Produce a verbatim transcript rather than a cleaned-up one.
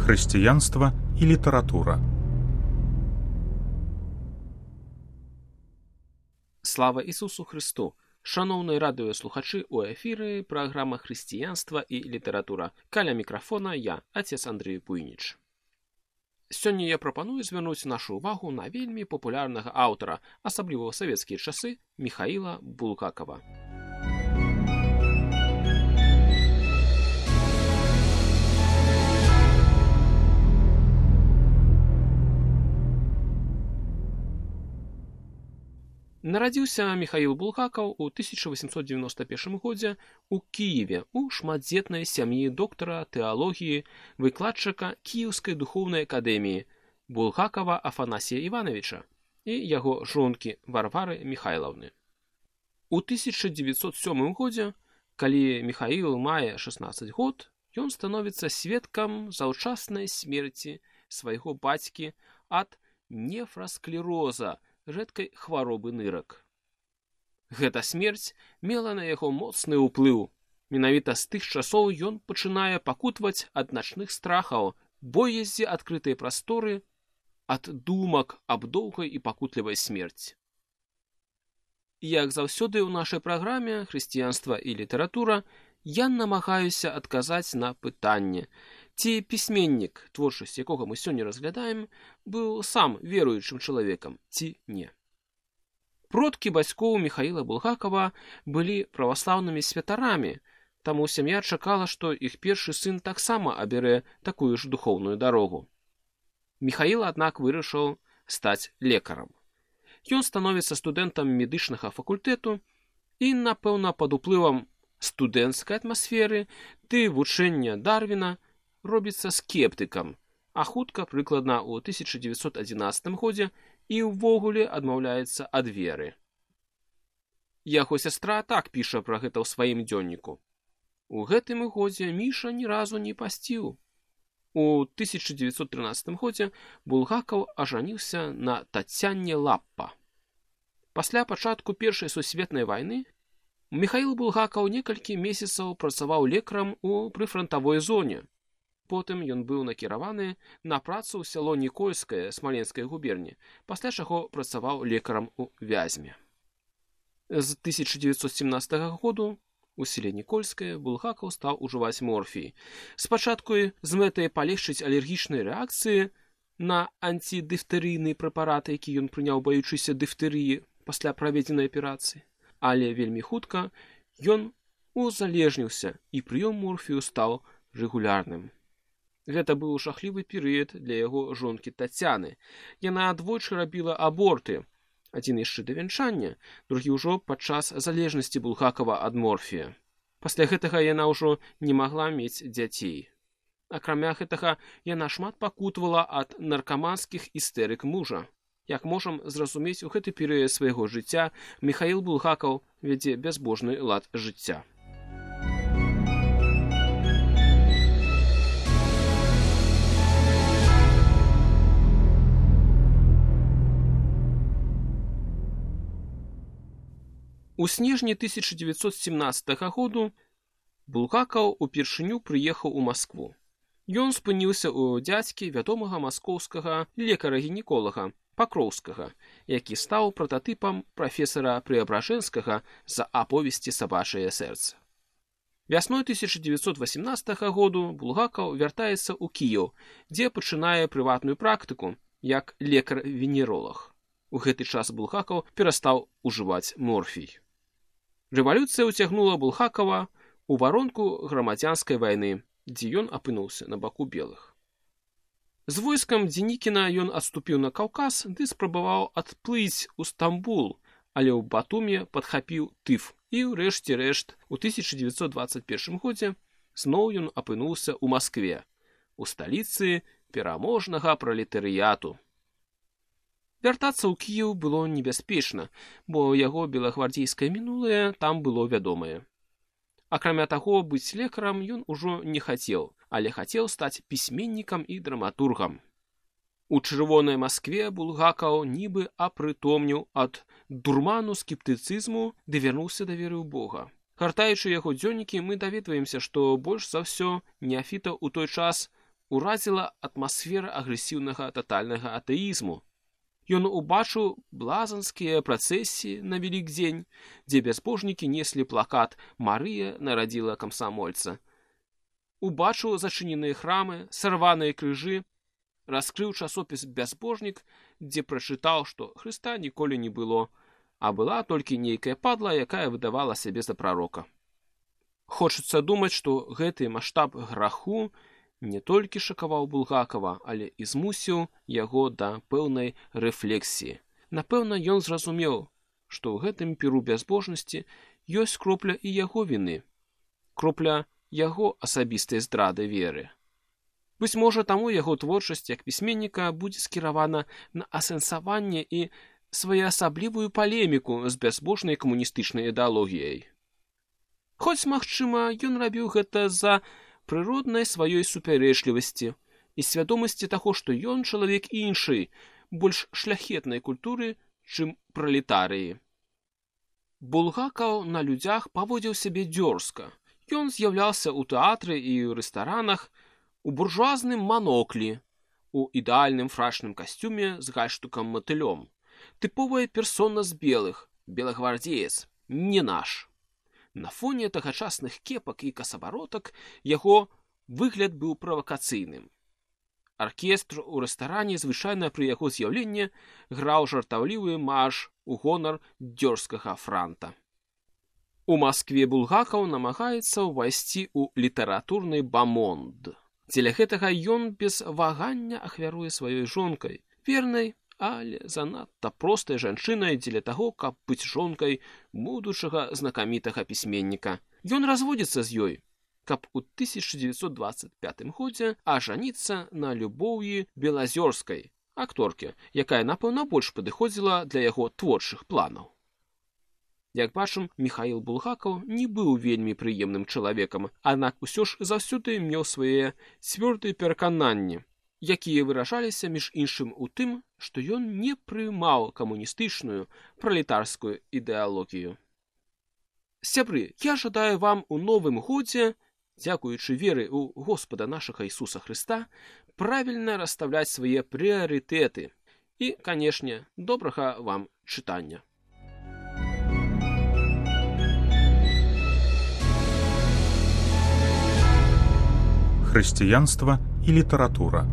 Хрысціянства і літаратура. Слава Ісусу Христу! Шановні радыёслухачы, у эфіры праграма «Хрысціянства і літаратура». Каля мікрафона я, отец Андрей Буйніч. Сёння я прапаную звярнуць нашу ўвагу на вельмі папулярнага аўтара, асабліва ў савецкія часы, Міхаіла Булгакова. Нарадзіўся Міхаіл Булгакаў у тысяча восемьсот девяносто первом годзе ў Кіеве у шматдзетнай сям'і доктара тэалогіі, выкладчыка Кіеўскай духоўнай акадэміі Булгакова Афанасія Івановича і яго жонкі Варвары Михайлаўны. У тысяча девятьсот сёмым годзе, калі Міхаіл мае шаснаццаць год, ён становіцца сведкам заўчаснай смерці свайго бацькі ад нефрасклероза, рэдкай хваробы нырак. Гэта смерць мела на яго моцны ўплыў. Менавіта з тых часоў ён пачынае пакутваць ад начных страхаў, боязі адкрытай прасторы, ад думак аб доўгай і пакутлівай смерці. Як заўсёды ў нашай праграме «Хрысціянства і літаратура» я намагаюся адказаць на пытанне, ці пісьменнік, творчасць якога мы сёння разглядаем, быў сам веруючым чалавекам, ці не. Продкі бацькоў Міхаіла Булгакова былі праваслаўнымі святарамі, таму сям'я чакала, што іх першы сын таксама абярэ такую ж духоўную дарогу. Міхаіл, аднак, вырашыў стаць лекарам. Ён становіцца студэнтам медычнага факультэту і, напэўна, пад уплывам студэнцкай атмасферы ды вучэння Дарвіна робіцца скептыкам, а хутка, прыкладна ў тысяча девятьсот адзінаццатым годзе, і ўвогуле адмаўляецца ад веры. Яго сястра так піша пра гэта ў сваім дзённіку. У гэтым годзе Міша ні разу не пасціў. У тысяча девятьсот трынаццатым годзе Булгакаў ажаніўся на Тацяне Лаппа. Пасля пачатку Першай сусветнай вайны Міхаіл Булгакаў некалькі месяцаў працаваў лекарам у прыфрантавой зоне. Потым ён быў накіраваны на працу ў сяло Нікольскае Смаленскай губерні, пасля чаго працаваў лекарам у Вязьме. З тысяча девятьсот семнадцатага году у селе Нікольскае Булгакаў стаў ужываць морфій. Спачатку з мэтай палегчыць алергічнай рэакцыі на антидыфтэрыйны прэпарат, які ён прыняў, баючыся дыфтэрыі пасля праведзенай аперацыі. Але вельмі хутка ён узалежніўся, і прыём морфію стаў рэгулярным. Гэта быў жахлівы перыяд для яго жонкі Тацяны. Яна двойчы рабіла аборты, адзін яшчэ да вянчання, другі ўжо падчас залежнасці Булгакова ад морфія. Пасля гэтага яна ўжо не магла мець дзяцей. Акрамя гэтага, яна шмат пакутвала ад наркаманскіх істэрык мужа. Як можам зразумець, у гэты перыяд свайго жыцця Міхаіл Булгакаў вядзе бязбожны лад жыцця. У снежні тысяча девятьсот семнадцатага году Булгакаў упершыню прыехаў у Маскву. Ён спыніўся ў дзядзькі вядомага маскоўскага лекара-гінеколага Пакроўскага, які стаў прататыпам прафесара Преабражэнскага за аповесці «Сабачае сэрца». Вясной тысяча девятьсот восемнадцатага году Булгакаў вяртаецца ў Кіеў, дзе пачынае прыватную практыку як лекар-венеролаг. У гэты час Булгакаў перастаў ужываць морфій. Рэвалюцыя ўцягнула Булгакава ў варонку грамадзянскай вайны, дзе ён апынуўся на баку белых. З войскам Дзенікіна ён адступіў на Каўказ ды спрабаваў адплыць у Стамбул, але ў Батуме падхапіў тыф і, ўрэшце рэшт, у тысяча девятьсот двадцать первом годзе зноў ён апынуўся ў Маскве, у сталіцы пераможнага пралетарыяту. Вяртацца ў Кіеў было небяспечна, бо яго белагвардзейскае мінулае там было вядомае. Акрамя таго, быць лекарам ён ужо не хацеў, але хацеў стаць пісьменнікам і драматургам. У чырвонай Маскве Булгакаў нібы апрытомніў ад дурману скептыцызму ды вярнуўся да веры ў Бога. Гартаючы яго дзённікі, мы даведваемся, што больш за ўсё неафітаў у той час уразіла атмасфера агрэсіўнага татальнага атэізму. Ён убачыў блазанскія працэсіі на Вялікдзень, дзе бязбожнікі неслі плакат «Марыя нарадзіла камсамольца». Убачыў зачыненыя храмы, сарваныя крыжы, раскрыў часопіс «Бязбожнік», дзе прачытаў, што Хрыста ніколі не было, а была толькі нейкая падла, якая выдавала сябе за прарока. Хочацца думаць, што гэты маштаб граху не толькі шакаваў Булгакова, але і змусіў яго да пэўнай рэфлексіі. Напэўна, ён зразумеў, што ў гэтым піру бязбожнасці ёсць кропля і яго віны, кропля яго асабістай здрады веры. Быць можа, таму яго творчасць як пісьменніка будзе скіравана на асэнсаванне і своеасаблівую палеміку з бязбожнай камуністычнай ідэалогіяй. Хоць, магчыма, ён рабіў гэта з-за прыроднай сваёй супярэчлівасці і свядомасці таго, што ён чалавек іншай, больш шляхетнай культуры, чым пралетарыі. Булгакаў на людзях паводзіў сябе дзёрзка. Ён з'яўляўся ў тэатры і ў рэстаранах, у буржуазным маноклі, у ідэальным фрачным касцюме з гальштукам-матылём. Тыповая персона з белых, белагвардзеец, не наш. На фоне тагачасных кепак і касабаротак яго выгляд быў правакацыйным. Аркестр у рэстаране звычайна пры яго з'яўленні граў жартаўлівы марш у гонар дзёрзкага франта. У Маскве Булгакаў намагаецца ўвайсці ў літаратурны бамонд. Дзеля гэтага ён без вагання ахвяруе сваёй жонкай, вернай, але занадта простай жанчынай дзеля таго, каб быць жонкай будучага знакамітага пісьменніка. Ён разводзіцца з ёй, каб у тысяча дзевяцьсот дваццаць пятым годзе ажаніцца на Любоўі Белазёрскай, акторке, якая, напэўна, больш падыходзіла для яго творчых планаў. Як бачым, Міхаіл Булгакаў не быў вельмі прыемным чалавекам, аднак усё ж заўсёды меў свае цвёрдыя перакананні, якія выражаліся між іншым у тым, што ён не прымаў камуністычную пралетарскую ідэалогію. Сябры, я жадаю вам у новым годзе, дзякуючы веры ў Господа нашага Ісуса Хрыста, правільна расстаўляць свае прыярытэты і, канешне, добрага вам чытання. Хрысціянства і літаратура.